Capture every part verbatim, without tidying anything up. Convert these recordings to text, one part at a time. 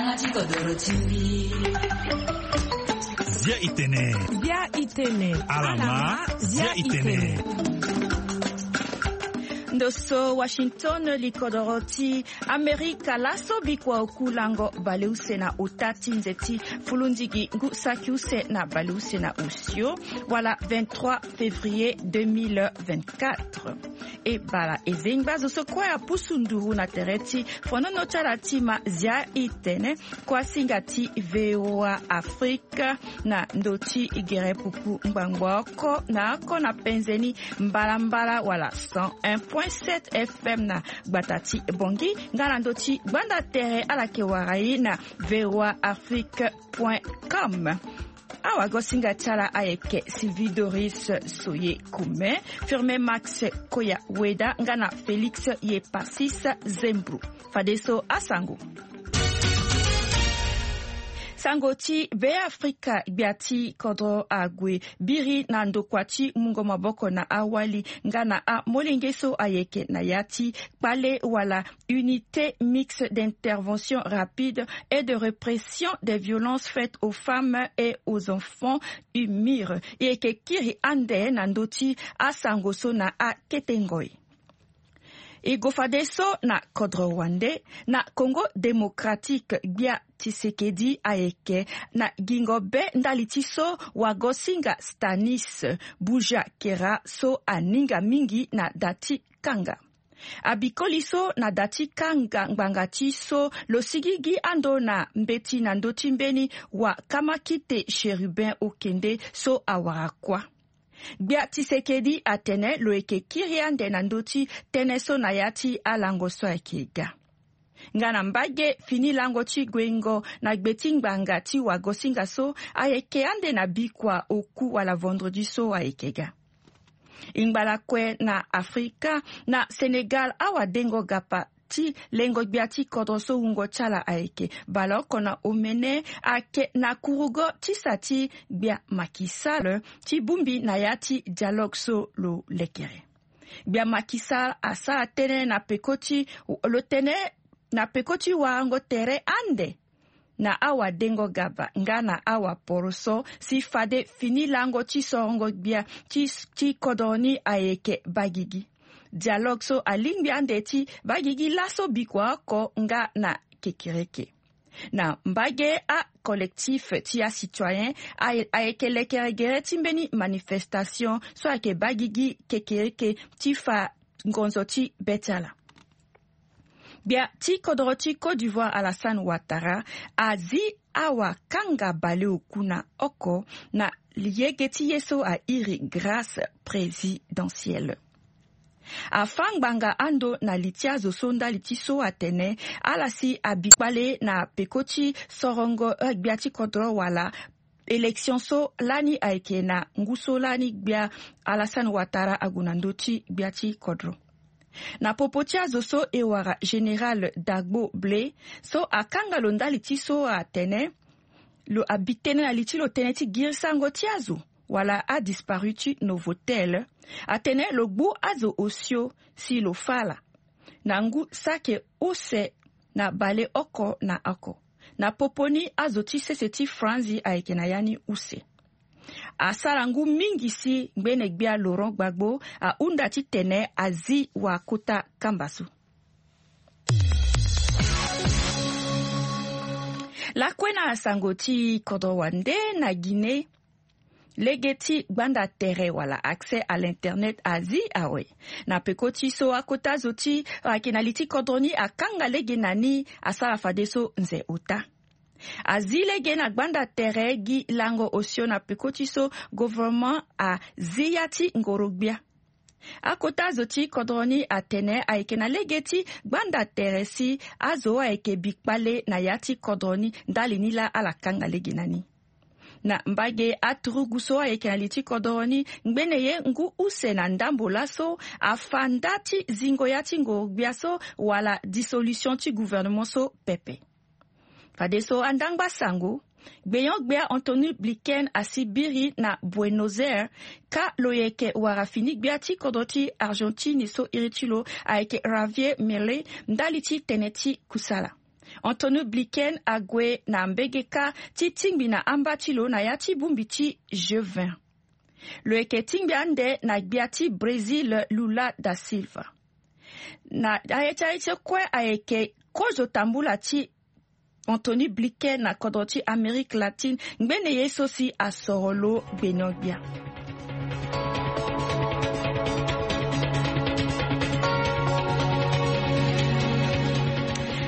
Zia itene. Zia itene. Alama. Zia itene. Ndo so Washington, likodoro ti Amerika laso bikua oku lango baleuse na ota ti nze ti fulundigi ngu saki use na baleuse na osio, wala vingt-trois février deux mille vingt-quatre. E bala e zengba zo so kue apusu nduru na tere ti fonono ti ala ti ma zia itene, kuasinga ti V O A Afrique na ndo ti gere pupu ngbangbo oko na oko na penze ni mbalambala wala cent un point sept F M na gbata ti Bongi, nga na ndo ti gbanda tere ala yeke wara e na V O A Afrique point com. Awagosinga ti ala ayeke Sylvie Doris Soye Kume, Firmin Max Koya Weda nga na Félix Yepasis Zembro. Fadeso asango. Sango ti Beafrika, gbia ti kodro ague biri na ndokua ti mungo maboko na awali nga na amolenge so ayeke na ya ti kpale wala Unité mixte d'intervention rapide et de répression des violences faites aux femmes et aux enfants, UMIR. E yeke kiri ande na ndö ti asango so na akete ngoi. E go fadeso na kodro wande, na Congo Démocratique, gbia Tshisekedi ayeke na gingo be ndali ti so wagosinga Stanis Bujakera so aninga mingi na da ti kanga. Abi koli so na da ti kanga ngbanga ti so lo sigigi ando na mbeti na ndö ti mbeni wa Kamakite Chérubin Okende so awara kuâ. Gbia Tshisekedi atene lo yeke kiri ande na ndö ti tënë so na ya ti alango so ayeke ga. Nga na mbage fini lango ti guengo na gbe ti ngbanga ti wagosinga so ayeke ande na bikua oku wala vendredi so ayeke ga. E ngba lakue na Afrika, na Sénégal, awadengo gapa ti lengo gbia ti kodro so wungo ti ala ayeke baleoko na omene ayeke na kurugo ti sa ti gbia Macky Sall ti bongbi na ya ti dialogue so lo lekere. Gbia Macky Sall asara tënë na peko ti lo tene na peko ti warango tere ande na awadengo gaba nga na awaporoso si fade fini lango ti sorongo gbia ti, ti kodro ni ayeke bagigi. Dialogue so alingbi ande ti bagigi laso bikua oko nga na kekereke. Na mbage acollectif ti acitoyen aye, ayeke lekere gere ti mbeni manifestation so ayeke bagigi kekereke ti fa ngonzo ti be ti ala. Gbia ti kodro ti Côte d'Ivoire Alassane Ouattara azi awakanga baleoku na oko na yege ti ye so airi grâce présidentielle. Afâ ngbanga ando na li ti azo so ndali ti so atene ala si abi kpale na peko ti sorongo gbia ti kodro wala élection so lani ayeke na ngu so lani gbia Alassane Ouattara ague na ndö ti gbia ti kodro. Na popo ti azo so e wara Général Dagbo Blé so akanga lo ndali ti so atene lo abi tënë na li ti lo tënë ti girisango ti azo wala adisparu ti Novotel, atene lo gbu azo osio si lo fâ ala na ngu saki use na baleoko na oko. Na popo ni azo ti sese ti Franzi ayeke na ya ni use. Asara ngu mingi si ngbene gbia Laurent Gbagbo ahunda titene azi wakota kamba so. Lakue na sango ti kodro wande na Guinée, lege ti gbanda tere wala accès à l'internet azi awe. Na peko ti so akota zo ti ayeke na li ti kodro ni akanga lege na ni asara fadeso nze ota. Azi lege na gbanda tere gi lango osio na peko ti so gouvernement azi ya ti ngoro gbia. Akota zo ti kodro ni atene ayeke na lege ti gbanda tere si azo ayeke bi kpale na ya ti kodro ni ndali ni laa ala kanga lege na ni. Na mbage aturugu so ayeke na li ti kodro ni, ngbene ye ngu use na ndambo laso afa nda ti zingo ya ti ngoro gbia so wala dissolution ti gouvernement so pepe. Fadeso andangba sango, gbenyo-gbia Anthony Blinken asi biri na Buenos Aires, ka lo yeke wara fini gbia ti kodro ti Argentine so iri ti lo ayeke Javier Milei ndali ti tene ti kusala. Antonio Blinken ague na mbege kâ ti tingbi na amba ti lo na ya ti bongbi ti G vingt. Lo yeke tingbi ande na gbia ti Brésil, Lula da Silva. Na aye ti aye ti kue ayeke kozo tambula ti Antonio Blinken na kodro ti Amérique latine. Ngbene ye so si asoro lo gbene gbia.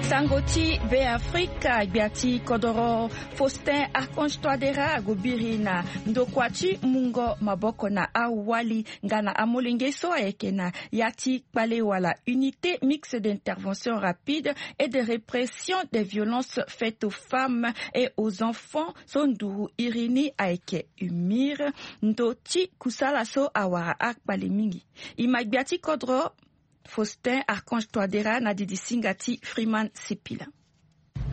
Sango ti Be Afrika, gbia ti kodoro Faustin Archange Touadéra ague biri na ndokua ti mungo maboko na awali nga na amolenge so ayeke na ya ti kpale wala unité mixte d'intervention rapide et de répression des violences faites aux femmes et aux enfants so nduru iri ni ayeke UMIR. Ndo ti kusala so awara akpale mingi. E ma gbia ti kodro Faustin Archange Touadéra na didi singa ti Freeman Sipila.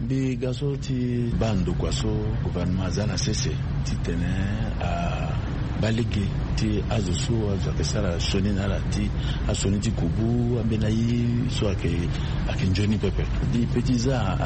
Mbi ga so ti baa ndokua so gouvernement aza na sese titene abaa lege ti azo so azo ayeke sara sioni na ala, ti asioni ti kubu ambeni aye so ayeke ayeke nzoni pepe. Mbi pe ti za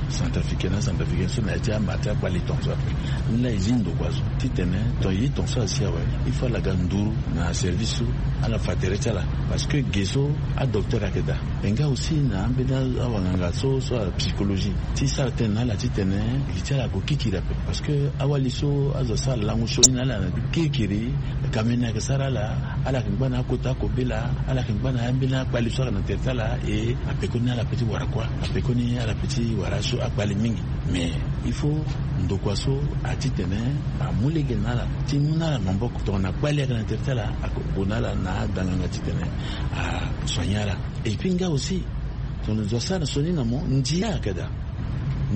acentrafricain na acentrafricaine so na ya ti ama ti akpale tongaso ape. Ni laa e zi ndokua so titene tonga e ye tongaso asi awe, il faut ala ga nduru na service so ala fa tere ti ala. Parce que ge so adocteur ayeke daa. E nga aussi na ambeni awanganga so so ala psychologie ti sara tënë na ala titene gi ti ala ague kirikiri ape. Parce que awali so azo asara lango sioni na ala na kirikiri, kamene ayeke sara ala. Ala yeke ngba na akota kobela, ala yeke ngba na ambeni akpale so ayeke na tere ti ala. E apekoni ala pe ti wara kuâ, apekoni ala pe ti wara so akpale mingi. Mais il faut ndokua so atitene amu lege na ala ti mu na ala maboko tongana kpale ayeke na tere ti ala, ague na ala na adanganga titene asoigne ala. Et puis nga aussi tongana zo asara sioni na mo, ndia ayeke daa.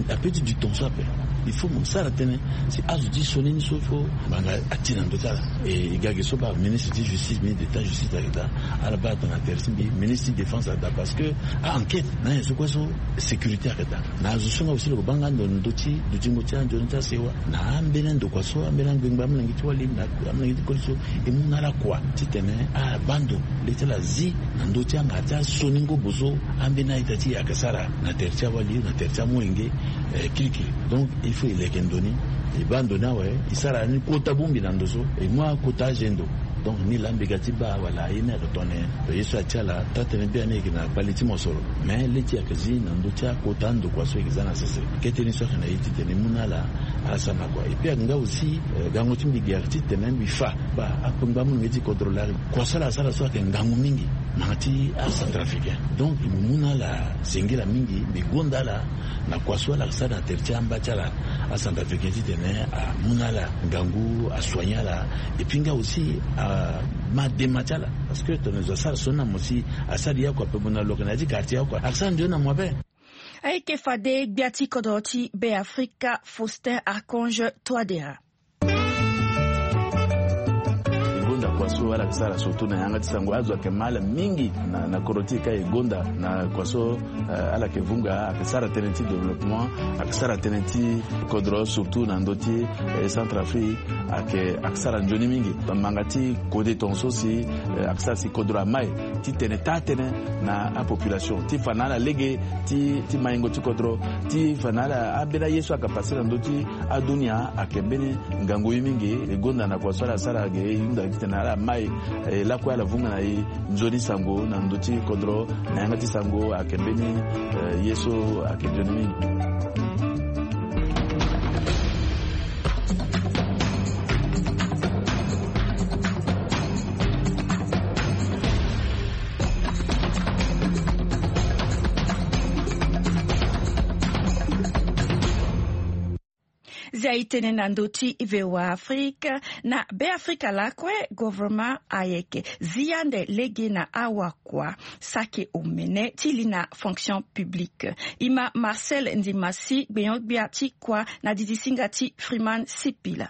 Ape ti du temps so ape, il faut mo sara tënë si azo ti sioni ni so, il faut ngbanga ati na ndö ti ala. E ga ge so baa ministre ti justice, ministre d'état justice ayeke daa. Ala baa tongana tere ti mbi ministre ti défense ayeke daa, parce que a enquête na nyen so kue so sécurité ayeke daa. Na azo so nga aussi lo yeke baa nga ndo na ndö ti dutingo ti anzoni ti asewa na ambeni andokua so, ambeni angbengba amolenge ti wali na amolenge ti koli so, e mu na ala kua titene abaa ndo le ti ala zi na ndö ti angara ti asioni ngobo so ambeni a-ita ti e ayeke sara na tere ti awali, na tere ti amolenge, eh, kirikiri. Donc il faut e leke ndo ni, e baa ndo ni awe, e sara ni kota bongbi na ndo so, e mu akota azendo. Donc ni laa mbi ga ti baa wala aye ni ayeke tongana ye so aye ti ala taa tënë biani e yeke na kpale ti mosoro. Mais le ti e ayeke zi na ndö ti akota andokua so e yeke za na sese. Kete ni so ayeke na e titene e mu na ala asara na kua. Et puis ayeke nga aussi, eh, gango ti mbi ge ayeke titene mbi fa baa akpengba amolenge ti kodro laa, kua so ala sara so ayeke ngangu mingi. Manga ti acentrafricain. Donc mbi mu na ala sengila mingi, mbi gonda ala na kua so ala yeke sara na tere ti amba ti ala acentrafricain titene amu na ala ngangu, asoigne ala. Et puis nga aussi ama dema ti ala. Parce que tongana zo asara sioni na mo si asara ye oko ape, mo na lo yeke na ya ti quartier oko, ayeke sara nzoni na mo ape. Ayeke fade gbia ti kodro ti Be Afrika Faustin Archange Touadéra. E gonda kua so ala yeke sara surtout na yanga ti sango, azo ayeke ma ala mingi na, na kodro ti e ka. E gonda na kua so, eh, ala yeke vunga, ayeke sara tënë ti développement, ayeke sara tënë ti kodro surtout na ndö ti, eh, Centrafrique. Ayeke, ayeke sara nzoni mingi. Manga ti kode tongaso si, eh, ayeke sara si kodro amai titene taa tënë na apopulation, ti fa na ala lege ti, ti maingo ti kodro, ti fa na ala ambeni aye so ayeke pase na ndö ti adunia. Ayeke mbeni ngangu ye mingi. E gonda na kua so ala sara ge, e hunda titene ala mai, eh, lakue ala vunga na e nzoni sango na ndö ti kodro. Na yanga ti sango ayeke mbeni, eh, ye so ayeke nzoni mingi. Zia e tene na ndö ti VOA Afrique. Na Be Afrika lakue, gouvernement ayeke zi ande lege na awakua saki omene ti li na fonction publique. E ma Marcel Ndimasi gbenyo-gbia ti kua na didi singa ti Freeman Sipila.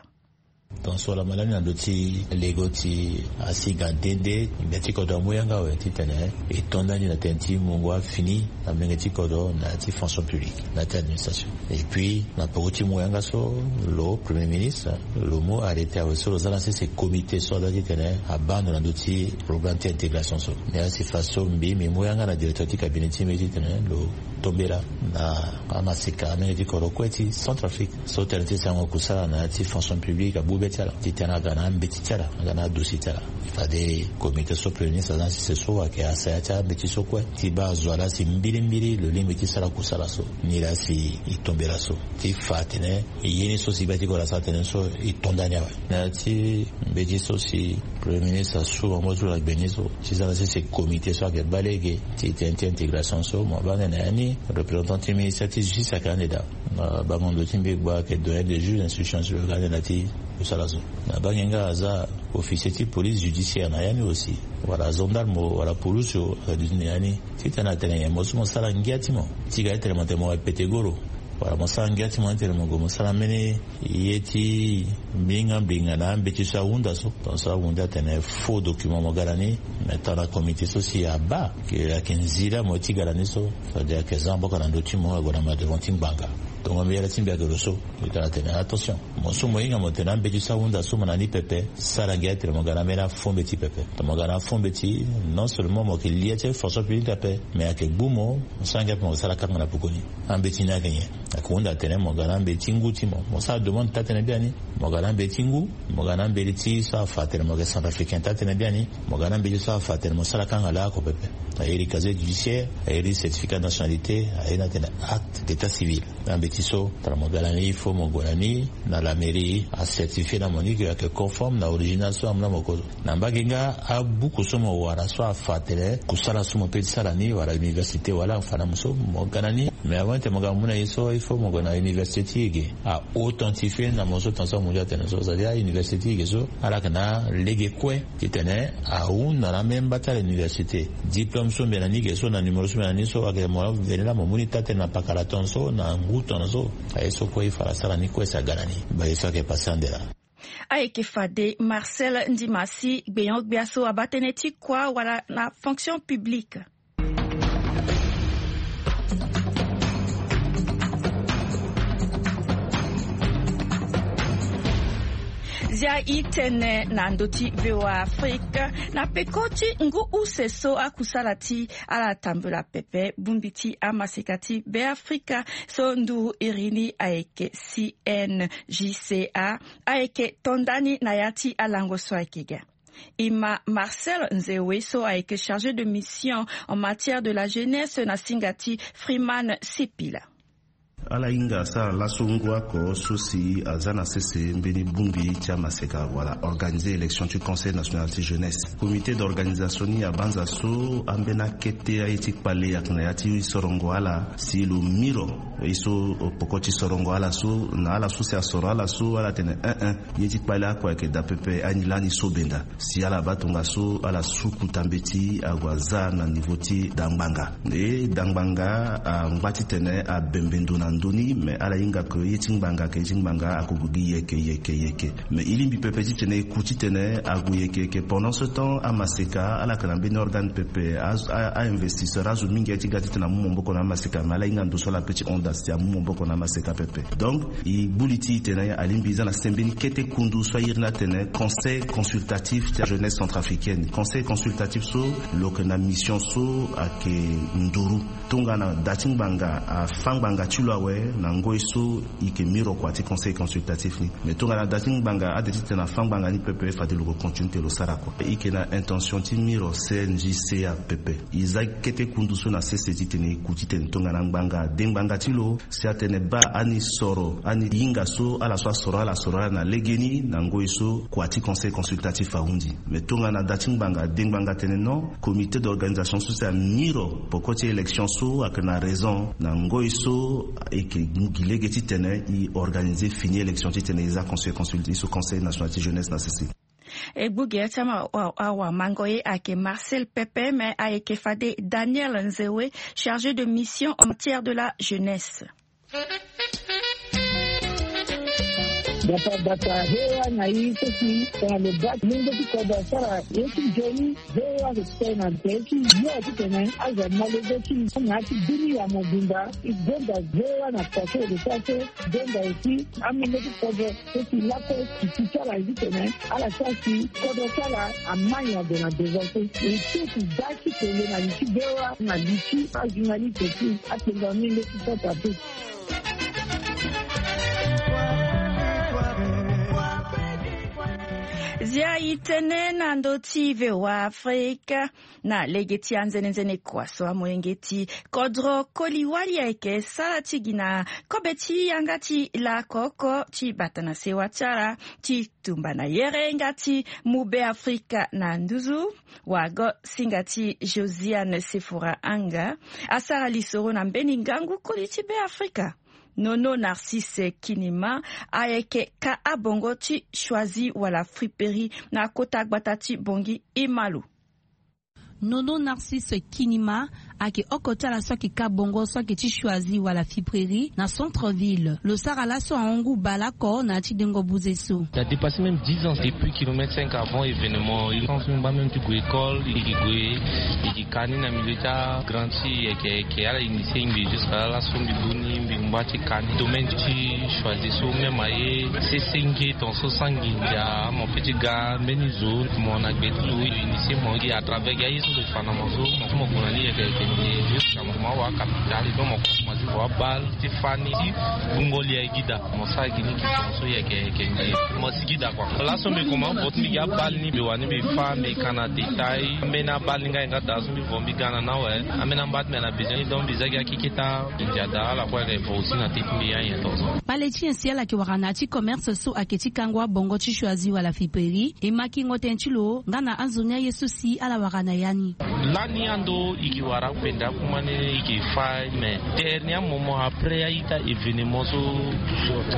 Tongaso laa malani na ndö ti lego ti asi ga nde nde, ngbia ti kodro amu yanga awe titene e to ndani na tënë ti mungo afini na molenge ti kodro na ya ti fonction publique na ya ti administration. Et puis na peko ti mu yanga so, lo premier ministre lo mu arrêté awe so lo za na sese comité so aza titene abaa ndo na ndö ti programme ti intégration so. Ni asi fa so mbi mbi mu yanga na directeur ti cabinet ti mbi titene lo tombela na amaseka amolenge ti kodro kue ti Centrafrique so tënë ti sango kusala na ya ti fonction publique abu be ti ala titene aga na ambeti ti ala, aga na adossier ti ala. Fade comité so premier ministre aza na sese so ayeke asaya ti ambeti so kue ti baa azo ala si mbilimbili lo lingbi ti sara kusala so. Ni laa si e tombela so ti fa atene ye ni so si gbia ti kodro asara tënë so e to ndani awe. Na ya ti mbeti so si premier ministre asu bango ti lo na gbe ni so ti za na sese comité so ayeke baa lege ti tënë ti intégration so mo abaa ande na ya ni représentant ti ministère ti justice ayeke ande daa. Na bango ndo ti mbi gba ayeke doyen de juge d'instruction so lo yeke ande na ya ti kusala so. Na baa nginga aza officier ti police judiciaire na ya ni aussi, wala gendarme o wala polisi o, ayeke duti na ya ni titene atene nyen mo so mo sara ngia ti mo ti ga ti tene mo tene mo ga pete goro, wala mo sara ngia ti mo ti tene mo gue mo sara mbeni ye ti mbinga mbinga na ambeti so ahunda so. Tongaso ahunda atene faux document mo ga na ni. Me tongana comité so si abaa ke ayeke nzila mo ti ga na ni so, fade ayeke za maboko na ndö ti mo ague na ma devant ti ngbanga. Tongo mbi yere ti mbi ayeke lo so. Mbi tara atene attention, mo so mo hinga mo tene ambeti so ahunda so mo na ni pepe, sara ngia ti tene mo ga na ambeni afaux mbeti pepe. Tongana mo ga na afaux mbeti, non seulement mo yeke lia ti fonction publique ape, me ayeke gbu mo, mo sara ngia ape mo yeke sara kanga na pekoni. Ambeti ni ayeke nyen? Ayeke hunda atene mo ga na ambeti ngu ti mo, mo sara demande taa-tënë biani. Mo ga na ambeti ngu, mo ga na ambeti so afa atene mo yeke centrafricain taa-tënë biani. Mo ga na ambeti so afa atene mo sara kanga laoko pepe. Aye iri casier judiciaire, aye iri certificat de nationalité, aye na atene acte d'état civil. Ambeti so tara mo ga na ni, il faut mo gue na ni na la mairie acertifie na mo ni ke ayeke conforme na original so amu na mo kozo. Na mbage nga abuku so mo wara so afa atene kusala so mo pe ti sara ni wala université wala afa na mo so mo ga na ni. Mais avant ti mo ga mo mu na ye so il faut mo gue na université ti e ge a authentifie na mo so tongaso mo mu ndia tene so, c'est-à-dire université ti e ge so ala yeke na lege kue titene ahunda na ambeni mba ti ala université. Diplôme so mbi na ni ge so na numéro so mbi na ni so ayeke mo veni laa mo mu ni taa-tënë na pakara tongaso na ngu tongaso. Aye so kue il faut ala sara ni kue si aga na ni. Mbi ye so ayeke passé ande laa. Ayeke fade Marcel Ndimasi, gbenyo-gbia so abaa tënë ti kua wala na fonction publique. Zia e tene na ndö ti V O A Afrique na peko ti ngu use so akusala ti ala tambula pepe bongbi ti amaseka ti Beafrika so nduru iri ni ayeke C N J C A ayeke to ndani na ya ti alango so ayeke ga. E ma Marcel Nzewe so ayeke chargé de mission en matière de la jeunesse na singa ti Freeman Sipila. Ala hinga asara laso ngu oko so si aza na sese mbeni bongbi ti amaseka wala organiser élection ti Conseil national ti jeunesse. Comité d'organisation ni abanza so ambeni akete aye ti kpale ayeke na ya ti sorongo ala si lo miro. Ye so poko ti sorongo ala so na ala so si asoro ala so ala tene un un ye ti kpale oko ayeke daa pepe ani lani so benda. Si ala baa tongaso ala suku tambeti ague aza na niveau ti dangbanga. E dangbanga angba titene abembe ndo na ndö ni, me ala hinga ke ye ti ngbanga ayeke ye ti ngbanga akogue gi yeke yeke yeke. Me e lingbi pepe titene e ku titene ague yeke yeke. Pendant ce temps amaseka ala yeke na mbeni organe pepe, a- a- a investisseur azo mingi aye ti ga titene amu maboko na amaseka, me ala hinga ndo so ala pe ti honda si amu maboko na amaseka pepe. Donc e gbu li ti e tene alingbi e za na sese mbeni kete kundu so airi ni atene conseil consultatif ti jeunesse centrafricaine. Conseil consultatif so lo yeke na mission so ayeke nduru. Tongana da ti ngbanga afâ ngbanga ti lo awe, na ngoi so e yeke miro kua ti conseil consultatif ni. Mais tongana da ti ngbanga ade titene afâ ngbanga ni pepe, fade lo ko continue ti lo sara kua. E yeke na intention ti miro C N J C A pepe. E za kete kundu so na sese titene e ku titene tongana ngbanga ade ngbanga ti lo si atene baa ani soro ani hinga so ala so asoro ala soro ala na legeni na ngoi so kua ti conseil consultatif ahundi. Mais tongana da ti ngbanga ade ngbanga atene non, comité d'organisation so si amiro poko ti élection so ayeke na raison na ngoi so e yeke gi lege titene e organiser fini élection titene e za conseil consulté so conseil national ti jeunesse na sese. E gbu gere ti ama awamango ye ayeke Marcel Pepe, me ayeke fade Daniel Nzewe, chargé de mission en matière de la jeunesse. Bata bata he wa na i so si tena lo bati lenge ti kodro asara ye ti nzoni. Ve wa ke ti tene na nze ti yo ti tene aza malege ti na ti bini ya mobimba. I gonda ve wa na pase de sa so gonda aussi amenge ti kodro so si lako si ti ti ala ye ti tene ala sa si kodro ti ala amani ade na devant so. E ti si da ti tene na li ti ve wa na li ti ajournaliste ti atenga menge ti pota pe. Zia i tene na ndö ti V O A Afrika. Na lege ti anzenenzene kua so amolenge ti kodro koli wali ayeke sara ti gi na kobe ti yanga ti lako oko ti bata na sewa ti ala ti tumba na yere nga ti mu Be Afrika na nduzu. Wago singa ti Josiane Sefora Anga asara lisoro na mbeni ngangu koli ti Be Afrika. Nono Narcisse Kinima ayeke ka abongo ti Choisy wala Friperie na kota gbata ti Bongi Imalo. Nono Narcisse Kinima ayeke oko ti ala so ayeke ka bongo so ayeke ti Choisy wala Friperie na centre ville. Lo sara laso ahon ngu baleoko na ya ti dengo buze so. Ça dépasse même dix ans depuis kilomètre cinq avant événement. Il pense même pas même ti gue école, il gue, il ka ni na milieu ti agrandi yeke yeke ala initié mbi jusqu'à là laso mbi boni mbi ngba ti ka ni domaine ti Choisy so même aye sese nge ton so sangi ndia mo pe ti ga mbeni zo mo na gbe ti lo initié mo gi à travers gi aye so lo fa na mo so mo gue na ni yeke yeke nde jusqu'à mo ma wa capital donc mo commencé vo abal ti fa ni ti bungo li aye gi daa. Mo sara gi ni ki ton so yeke yeke nde mo si gi daa kua laso mbi koma vo ti mbi gi abal ni mbi wani mbi fa mbi ka na détail ambeni abal ni nga ye nga daa so mbi vo mbi ga na ni awe. Ambeni amba ti mbi na besoin ni donc mbi za gi akeketa. Ndia daa ala kue ayeke vo aussi na te ti mbi ya nyen ton so. Kpale ti nyen si ala yeke wara na ya ti commerce so ayeke ti kango abongo ti Choisy wala Friperie e ma kingo tënë ti lo nga na anzoni aye so si ala wara na ya ni. Lani ando i ke wara akupenda akuma ni i ke fa mais dernièrement après a-ita événement so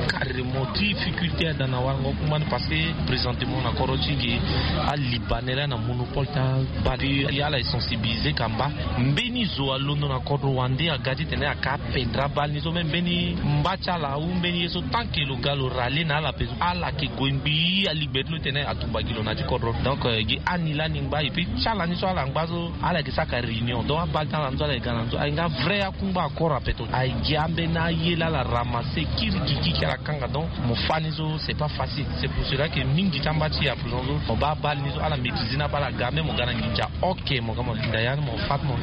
carrément difficulté ada na warango akuma ni parce que présentement na kodro ti ge alibanais laa na monopole ti abal. Ala e sensibiliser kamba mbeni zo alondo na kodro wande aga titene aka apendre abal ni so même mbeni mba ti ala ou mbeni ye so tant que lo ga lo rale na ala pe so ala ke gue ngbii aligbe ti lo titene atumba gi lo na ya ti kodro donc gi ani lani ngba et puis ti ala ni so ala ngba so ala yeke saka réunion donc abal ti ala ni so ala yeke ga na ni so aye nga vrai akungba akora peto aye gi ambeni aye laa ala ramasse kiri gigi ki ala kanga donc mo fa ni so c'est pas facile. C'est pour cela que mingi ti amba ti ya prison so mo baa abal ni so ala maîtrise ni abal aga même mo ga na nginza ok mo ga mo linda ya ni mo fa ti mo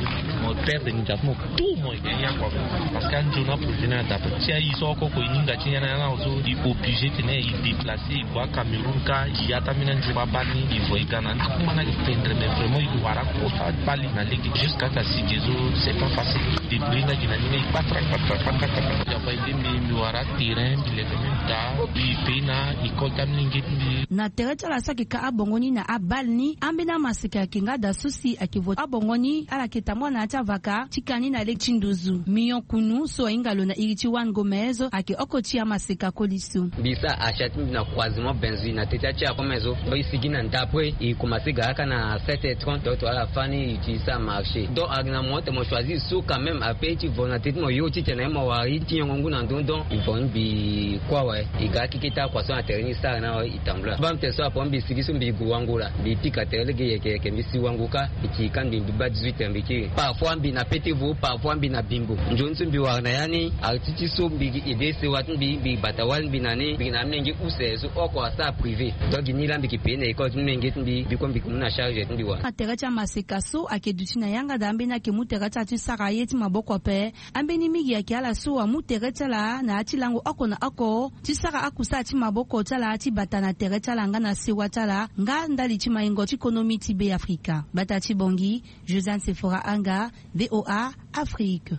mo perdre nginza ti mo tout mo yeke ya kua. Parce que anzoni aprojet ni adapre ti aye so oko oko e hinga ti ya na ya na so e obligé tene e déplacer e gue acameroun ka e ya ti ambeni anzoni abal ni e vo e ga na ni akuma ni ayeke pendre mais vraiment e wara kosa abal ni na lege jusqu'à ta si ge so c'est pas facile. Débrouiller nga gi na ni me e kpatra kpatra kpatra kpatra ya fa e de mbi mbi wara terrain mbi leke même daa mbi pe na école ti amilenge ti mbi. Na tere ti ala so ayeke ka abongo ni na abal ni ambeni amaseka ayeke nga daa so si ayeke vo abongo ni ala yeke tambula na ya ti avaka ti ka ni na lege ti nduzu. Mignon Kunu so ahinga lo na iri ti Juan Gomez ayeke oko ti amaseka koli so. Mbi sara achat ti mbi na croisement Benzui na teti ya ti akome so donc e sigi na ndapre e commencé ga kaka na sept heures trente donc to ala fani e ti sara marché donc ayeke na mo tene mo choisir so quand même ape ti vo na teti mo yo titene mo wara ye ti nyongo ngu na ndö donc e vo ni mbi kue awe. E ga akeke ti akua so na tere ni e sara ni awe e tambula baa mbi tene so apo mbi sigi so mbi gue wango laa mbi pika tere lege yeke yeke mbi si wango kâ mbi ti ka mbi mbi baa dix-huit heures mbi kiri parfois mbi na pete vo parfois mbi na bimbo nzoni so mbi wara na ya ni arti ti so mbi gi ede sewa ti mbi mbi bata wali mbi na ni mbi gi na amilenge use so oko asara privé donc gi ni laa mbi yeke paye na école ti mbi menge ti mbi mbi kue mbi yeke mu na charge ti mbi wara. Atere ti amaseka so ayeke duti na yanga daa ambeni ayeke mu tere ti ala ti sara ye ti maboko ape. Ambeni mingi ayeke ala so amu tere ti ala na ya ti lango oko na oko ti sara akusala ti maboko ti ala ti bata na tere ti ala nga na sewa ti ala nga ndali ti maingo ti konomi ti Be Afrika. Bata ti Bongi, Josiane Sefora Anga, V O A Afrique.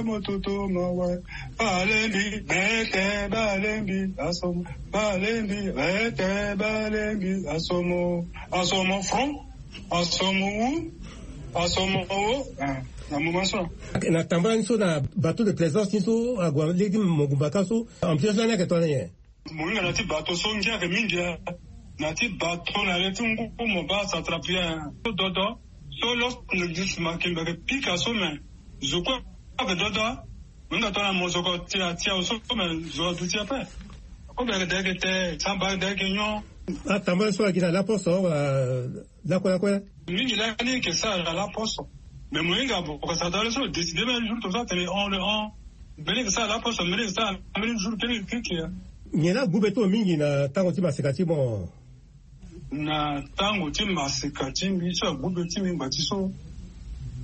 Bale motutu mawe. Balembi bete, balembi asomo. Balembi bete, balembi asomo. Asomo front, asomo u, asomo o. Ah, na moment so. Na tambula ni so na bateau de plaisance ni so ague lege ti mongumba ka so, ambiance lani ayeke tongana nyen? Mohinga na ti bato so ngia ayeke mingi, eh. Na ti bato na le ti ngu mo baa ça attrape bien. So dodo so lorsque ne dix makembe ayeke pika so me zo kue ayeke dodo. Mohinga tongana mozoko ti atia so me zo aduti ape. Akobe ayeke da ayeke te samba ayeke da ayeke nyon. Atambula so ayeke na laposo wala lakue lakue. Mingi lani yeke sara na laposo. Mais mohinga boko sara tale so décide même jour to so atene on le on. Mbeni yeke sara laposo mbeni yeke sara mbeni jour kele yeke keke. Nyen la gube ti mo mingi na tango ti maseka ti mo? Na tango ti maseka ti mbi so agube ti mbi ngba ti so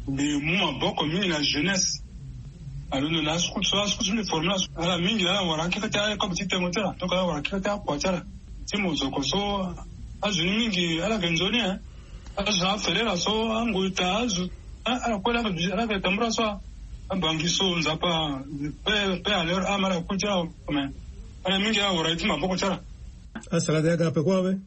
mbi mu maboko mingi na jeunesse. Alondo na asukulu so asukulu so mbi forme na ala mingi ala wara keke ti akobe ti tengo ti ala donc ala wara keke ti akua ti ala. Ti mozoko so azo ni mingi ala yeke nzoni, eh. Azo na aferera so angoi ta azo. Ah, ala kue ala yeke tambula so. Abangi so nzapa pe pe à leur âme ala kui ti ala. Mais ala mingi ala wara ye ti maboko ti ala. Asara de aga peko awe.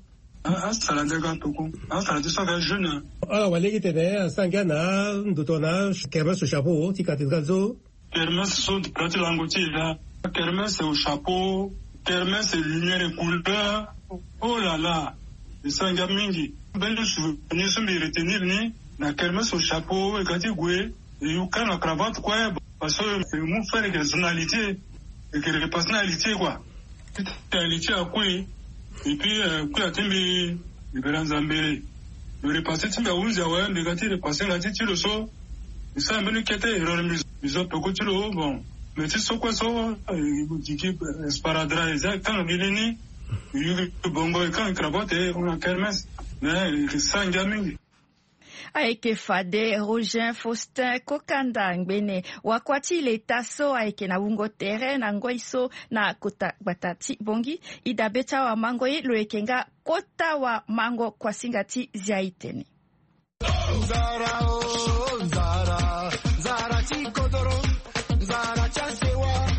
Asara de aga peko. Asara de so aga jeune. Ala wara lege tene asara ngia na ndo tongana kermesse au chapeau ti cathédrale so. Kermesse so pla ti lango ti e la. Kermesse au chapeau. Kermesse lumière et couleur. Oh là là. E sara ngia mingi. Mbeni souvenir so mbi retenir ni na kermesse au chapeau e ga ti gue. E yu kanga cravate kue. Parce que e mu faire que zona litier. E ke repasse na litier kua. Ti tene litier akui. Et puis kui ati mbi libera nzambe. Lo repasse ti mbi ahunzi awe mbi ga ti repasse nga ti ti lo so. Mbi sara mbeni kete erreur mbi zo peko ti lo bon. Mais ti so kue so e gigi esparadra e za e kanga mbi lini. E yugi bongo e kanga cravate e hon na kermesse. Mais e ke sara ngia mingi. Ayeke fade Roger Faustin Kokanda ngbene wakua ti leta so ayeke na wungo tere na ngoi so na kota gbata ti Bongi. Idabe ti awamango ye lo yeke nga kota wamango kuasinga ti zia itene. Nzara o nzara, nzara ti kodoro, nzara ti asewa.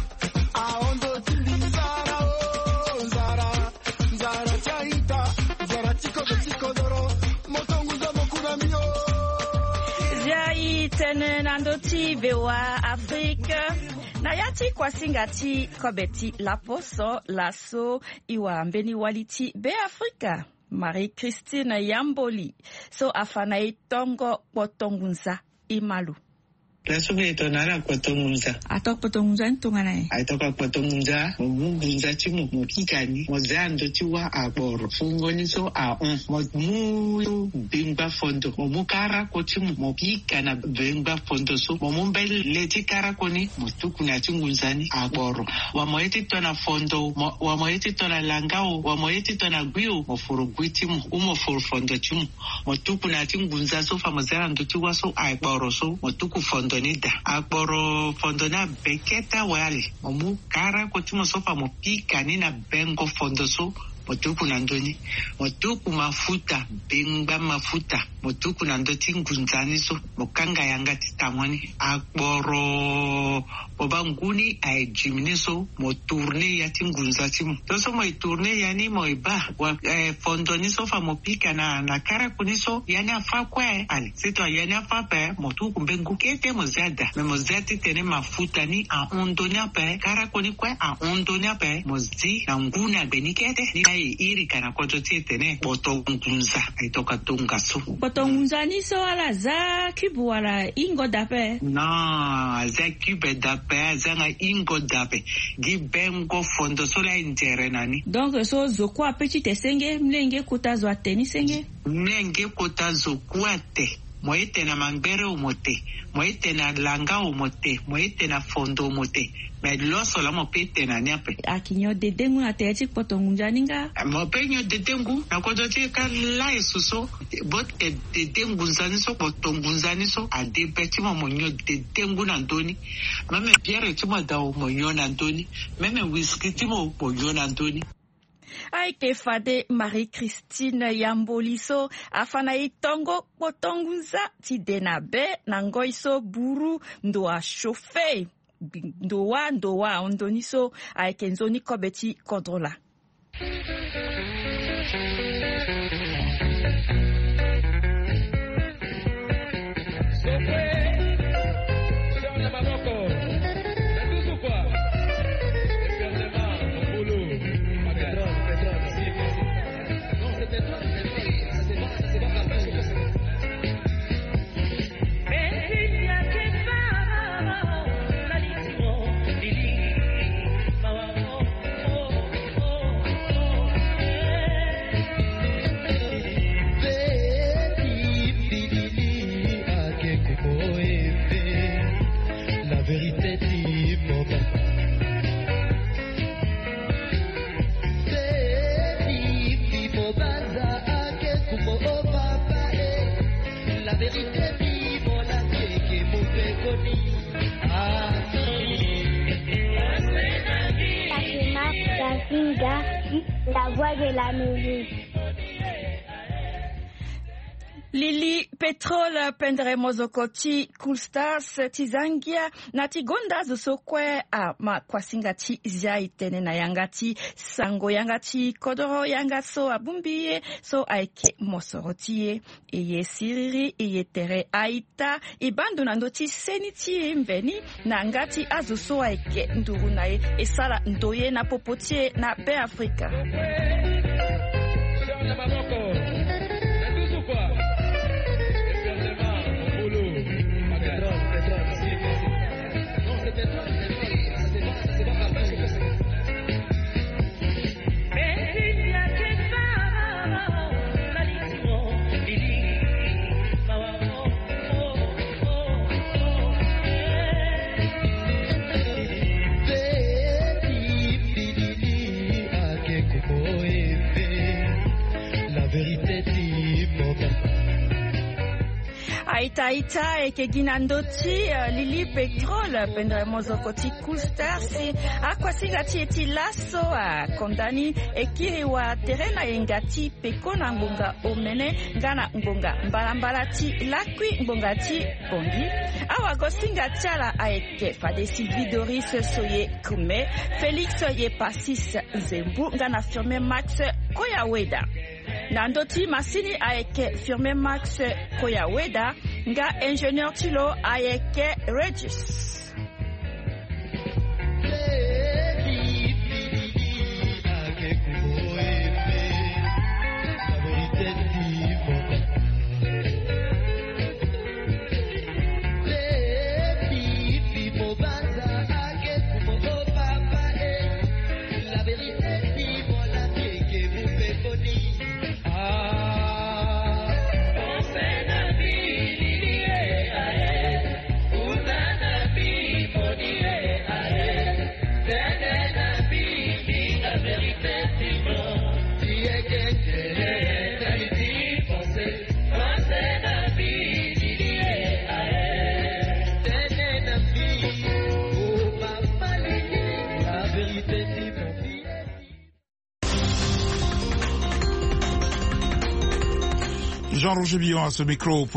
Aondo ti mbi nzara o nzara, nzara ti aita, nzara ti kodo ti kodoro. Moto nguza moku na mbi o. Zia i tene na ndö ti V O A Afrique. Na ya ti kuasinga ti kobe ti laposo laso, e wara mbeni wali ti Beafrika Marie Christine Yamboli so afa na e tongo kpoto ngunza. E ma lo. Laso mbi e tongana ala kpoto ngunza. Ato kpoto ngunza ni tongana nyen? Ato ka kpoto ngunza, mo mu ngunza ti mo, mo pika ni, mo zia ndo ti wâ akporo. Fungo ni so ahon. Mo mu bengba fondo, mo mu karako ti mo, mo pika na bengba fondo so. Mo mu mbele ti karako ni, mo tuku na ya ti ngunza ni akporo. Wala mo ye ti to na fondo, mo, wala mo ye ti to na langa o, wala mo ye ti to na gui o, mo foro gui ti mo, ou mo foro fondo ti mo. Mo tuku na ya ti ngunza so fa mo zia na ndo ti wâ so akporo so, mo tuku fondo ni daa. Akporo fondo ni abe kete awali. Mo mu karako ti mo so fa mo pika ni na bengo fondo so, mo tuku na ndö ni. Mo tuku mafuta, bengba mafuta, mo tuku na ndö ti ngunza ni so, mo kanga yanga ti tango ni. Akporo, mo baa ngu ni aye diminué so, mo tourné ya ti ngunza ti mo. So so mo e tourné ya ni, mo e baa wa, eh, fondo ni so fa mo pika na, na karako ni so, ya ni afâ kue. Allez, si to ya ni afâ ape, mo tuku mbengu kete mo zia daa. Mais mo zia titene mafuta ni ahon ndo ni ape, karako ni kue ahon ndo ni ape, mo zi na ngu ni agbe ni kete. Ni aye iri ka na kodro ti e tene kpoto ngunza. Aye to ka tongaso. Kpoto ngunza ni so ala zia cube wala ingo daa ape? Non, azia cube daa ape, azianga ingo daa ape. Gi bengo fondo so laa e nzere na ni. Donc so zo kue ape ti te senge, mlenge kota zo ate ni senge? Mlenge kota zo kue ate. Mo ye te na mangbere o mo te. Mo ye te na langa o mo te. Mo ye te na fondo o mo te. Mais loso laa mo pe te na ni ape. Aki nyon dede ngu na tere ti kpoto ngunza ni nga? Mo pe nyon dede ngu na kodro ti e ka laa e su so. Bo te dede ngunza ni so, kpoto ngunza ni so, ade be ti mo, mo nyon dede ngu na ndö ni. Même bière ti mo daa o, mo nyon na ndö ni. Même whisky ti mo, mo nyon na ndö ni. Ayeke fade Marie Christine Yamboli so afa na e tongo kpoto ngunza ti de na be na ngoi so buru ndo achauffe. Ndo wâ, ndo wâ ahon ndo ni so ayeke nzoni kobe ti kodro laa. La vérité dit mon papa. Fatima Gavinga, la voix de l'Amérique. Lili Pétrole, pendere mozoko ti Cool Stars ti za ngia na ti gonda azo so kue ama kuasinga ti zia e tene na yanga ti sango yanga ti kodoro yanga so abongbi ye so ayeke mosoro ti e. E ye siriri, e ye tere aita, e baa ndo na ndö ti seni ti e mveni na yanga ti azo so ayeke nduru na e, e sara ndoye na popo ti e na Beafrika. La vérité dit mon papa. Aita aita, e yeke gi na ndö ti, eh, Lili Pétrole, pendere mozoko ti Cool Stars. Akuasinga ti e ti laso akonda ni e kiri watere na yenga ti peko na ngbonga omene nga na ngbonga mbalambala ti lakui ngbonga ti Bongi. Awagosinga ti ala ayeke fade Sylvie Doris Soye Kume, Félix Yepasis Nzembu nga na Firmin Max Koyaweda. Na ndö ti masini ayeke Firmin Max Koyaweda, nga ingénieur ti lo ayeke Régis. Roger Billon à ce micro.